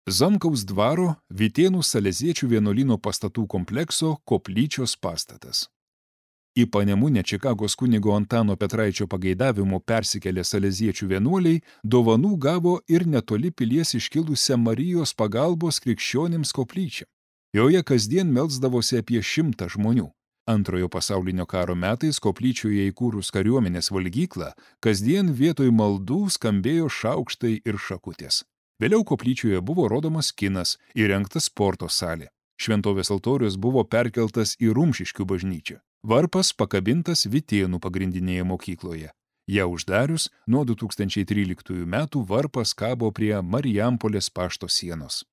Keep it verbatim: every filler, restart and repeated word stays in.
Zamkaus dvaro Vytėnų Saleziečių vienuolyno pastatų komplekso koplyčios pastatas. Į Panemunę Čikagos kunigo Antano Petraičio pageidavimu persikėlę saleziečių vienuoliai dovanų gavo ir netoli pilies iškilusią Marijos pagalbos krikščionims koplyčią. Joje kasdien melsdavosi apie šimtą žmonių. Antrojo pasaulinio karo metais koplyčioje įkūrus kariuomenės valgyklą, kasdien vietoj maldų skambėjo šaukštai ir šakutės. Vėliau koplyčioje buvo rodomas kinas, įrengtas sporto salė. Šventovės altorius buvo perkeltas į Rumšiškių bažnyčią. Varpas pakabintas Vytėnų pagrindinėje mokykloje. Ją uždarius, nuo du tūkstančiai tryliktųjų metų varpas kabo prie Marijampolės pašto sienos.